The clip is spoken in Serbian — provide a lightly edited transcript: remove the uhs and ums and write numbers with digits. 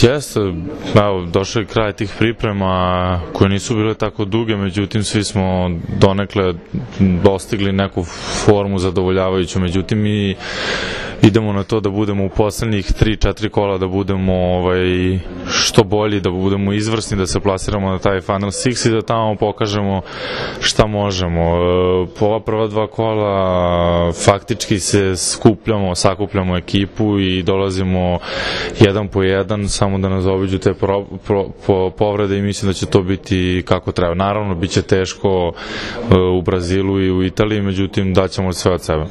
Jeste, evo, došao je kraj tih priprema koje nisu bile tako duge, međutim svi smo donekle dostigli neku formu zadovoljavajuću, međutim mi idemo na to da budemo u poslednjih 3-4 kola, da budemo što bolji, da budemo izvrsni, da se plasiramo na taj Final Six i da tamo pokažemo šta možemo. Po ova prva 2 kola faktički se sakupljamo ekipu i dolazimo jedan po jedan, samo da nas obiđu te povrede i mislim da će to biti kako treba. Naravno, bit će teško u Brazilu i u Italiji, međutim daćemo sve od sebe.